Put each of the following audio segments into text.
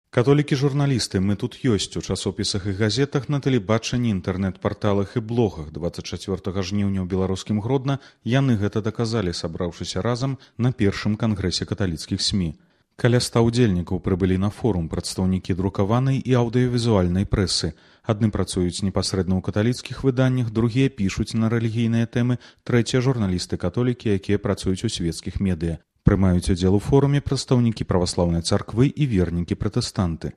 Католікі-журналісты, мы тут ёсць у часопісах і газетах, на тэлебачанні, інтэрнэт-парталах і блогах. 24 жніўня ў беларускім Гродна яны гэта даказалі, сабраўшыся разам на першым кангрэсе каталіцкіх СМІ. Каля 100 удзельнікаў прыбылі на форум прадстаўнікі друкаванай і аўдыёвізуальнай прэсы. Адны працуюць непасрэдна ў каталіцкіх выданнях, другія пішуць на рэлігійныя тэмы, трэція журналісты-католікі, якія працуюць у свецкіх медыа. Прымаюць удзел у форуме прадстаўнікі праваслаўнай царквы і вернікі-пратэстанты.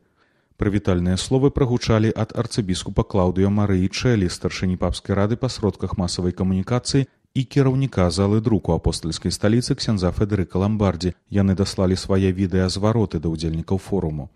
Прывітальныя словы прагучалі ад арцыбіскупа Клаўдыё Марыі Чэлі, старшыні папскай рады па сродках масавай камунікацыі і кіраўніка залы друку апостальскай сталіцы ксяндза Федэрыка Ламбардзі. Яны даслалі свае відэазвароты да ўдзельнікаў форуму.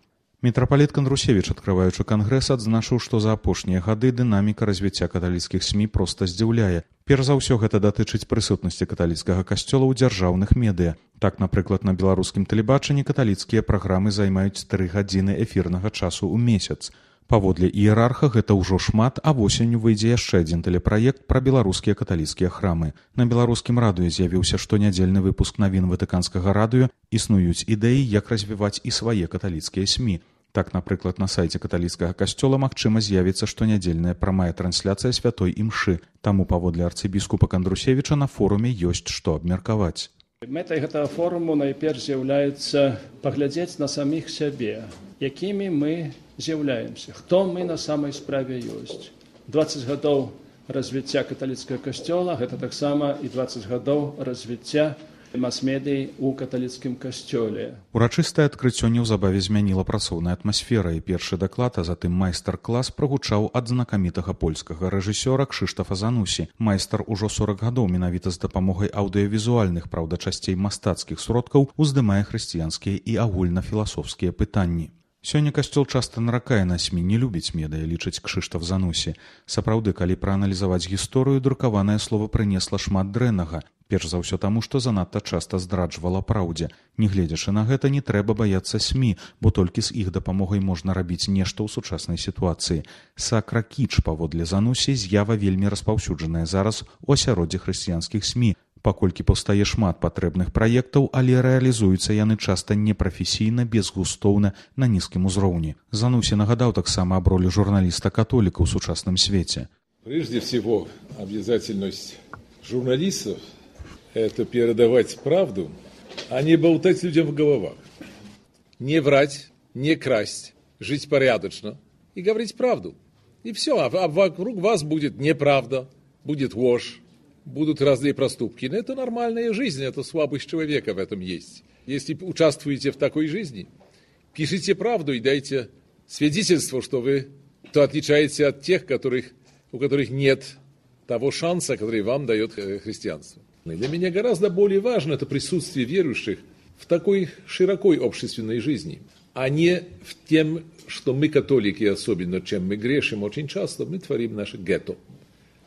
Мітрапаліт Кандрусевіч, адкрываючы кангрэс, адзначыў, што за апошнія гады дынаміка развіцця каталіцкіх СМІ проста здзіўляе. Перш за ўсё гэта датычыць прысутнасці каталіцкага касцёла ў дзяржаўных медыа. Так, напрыклад, на беларускім тэлебачанні каталіцкія праграмы займаюць 3 гадзіны эфірнага часу ў месяц. Паводле іерарха гэта ўжо шмат, а восенню выйдзе яшчэ адзін тэлепраект пра беларускія каталіцкія храмы. На беларускім радыё з'явіўся штонядзельны выпуск навін ватыканскага радыё, існуюць ідэі, як развіваць і свае каталіцкія СМІ. Так, напрыклад, на сайце каталіцкага касцёла магчыма з'явіцца штонядзельная прамая трансляцыя святой імшы. Таму, паводле арцыбіскупа Кандрусевіча, на форуме ёсць што абмеркаваць. Мэтай гэтага форуму найперш з'яўляецца паглядзець на саміх сябе, якімі мы з'яўляемся, хто мы на самай справе ёсць. 20 гадоў развіцця каталіцкага касцёла, гэта таксама і 20 гадоў развіцця мас-медый у каталіцкім касцёле. Урачыстае адкрыццё неўзабаве змяніла працоўная атмасфера, і першы даклад, а затым майстар-клас прагучаў ад знакамітага польскага рэжысёра Кшыштафа Занусі. Майстар ужо 40 гадоў менавіта з дапамогай аўдыёвізуальных, праўда, часцей мастацкіх сродкаў уздымае хрысціянскія і агульнафіласофскія пытанні. Сёння касцёл часта наракае на СМІ, не любіць медыа, лічыць Кшыштаф Занусі. Сапраўды, калі прааналізаваць гісторыю, друкаванае слова прынесла шмат дрэннага. Перш за ўсё таму, што занадта часта здраджвала праўдзе. Нягледзячы на гэта, не трэба баяцца СМІ, бо толькі з іх дапамогай можна рабіць нешта ў сучаснай сітуацыі. Сакра-кіч, паводле Занусі, з'ява вельмі распаўсюджаная зараз у асяроддзі хрысціянскіх СМІ. Паколькі паўстае шмат патрэбных праектаў, але рэалізуюцца яны часта непрафесійна, безгустоўна, на нізкім узроўні. Занусі нагадаў таксама аб ролі журналіста-католіка ў сучасным свеце. Прежде всего, обязательность журналистов – это передавать правду, а не болтать людям в головах. Не врать, не красть, жить порядочно и говорить правду. И все, а вокруг вас будет неправда, будет ложь, будут разные проступки. Но это нормальная жизнь, это слабость человека в этом есть. Если участвуете в такой жизни, пишите правду и дайте свидетельство, что вы то отличаетесь от тех, у которых нет того шанса, который вам дает христианство. Для меня гораздо более важно это присутствие верующих в такой широкой общественной жизни, а не в тем, что мы, католики, особенно чем мы грешим, очень часто мы творим наше гетто.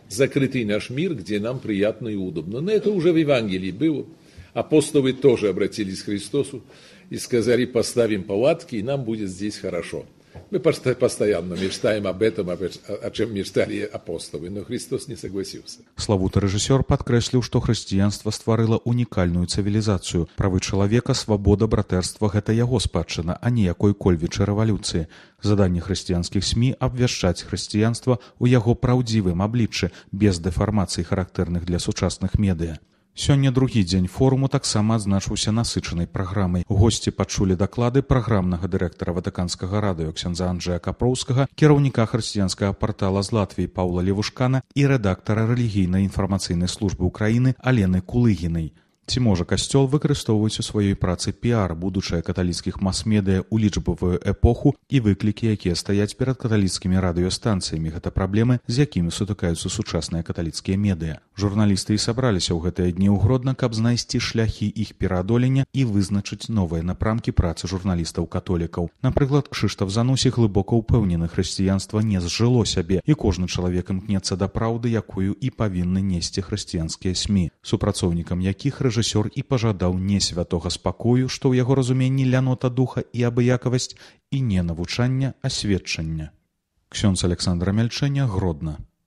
Закрытый наш мир, где нам приятно и удобно. Но это уже в Евангелии было. Апостолы тоже обратились к Христосу и сказали: поставим палатки, и нам будет здесь хорошо. Мы постоянно мечтаем об этом, о чем мечтали апостолы, но Христос не согласился. Славуты рэжысёр падкрэсліў, што хрысціянства стварыла унікальную цывілізацыю. Правы чалавека, свабода, братэрства – гэта яго спадчына, а не якой-кольвічай рэвалюцыі. Заданне хрысціянскіх СМІ – абвяшчаць хрысціянства ў яго праўдзівым абліччы, без дэфармацый, характэрных для сучасных медыа. Сёння другі дзень форуму таксама адзначыўся насычанай праграмай. Госці пачулі даклады праграмнага дырэктара ватыканскага радыё ксяндза Анджэя Капроўскага, кіраўніка хрысціянскага партала з Латвіі Паўла Левушкана і рэдактара рэлігійнай інфармацыйнай службы ўкраіны Алены Кулыгінай. Ці можа касцёл выкарыстоўваць у сваёй працы піар, будучае каталіцкіх мас-медыа ў лічбавую эпоху і выклікі, якія стаяць перад каталіцкімі радыёстанцыямі, гэта праблемы, з якімі сутыкаюцца сучасныя каталіцкія медыа. Журналісты і сабраліся ў гэтыя дні ў Гродна, каб знайсці шляхі іх пераадолення і вызначыць новыя напрамкі працы журналістаў-католікаў. Напрыклад, Кшыштаф Занусі глыбока ўпэўнены, хрысціянства не зжыло сябе, і кожны чалавек імкнецца да праўды, якую і павінны несці хрысціянскія СМІ, супрацоўнікам якіх рэжысёр і пажадаў не святога спакою, што ў яго разуменні лянота духа і абыякавасць, і не навучання, а сведчання. Ксёндз Александра Мяльчэня, Гродна.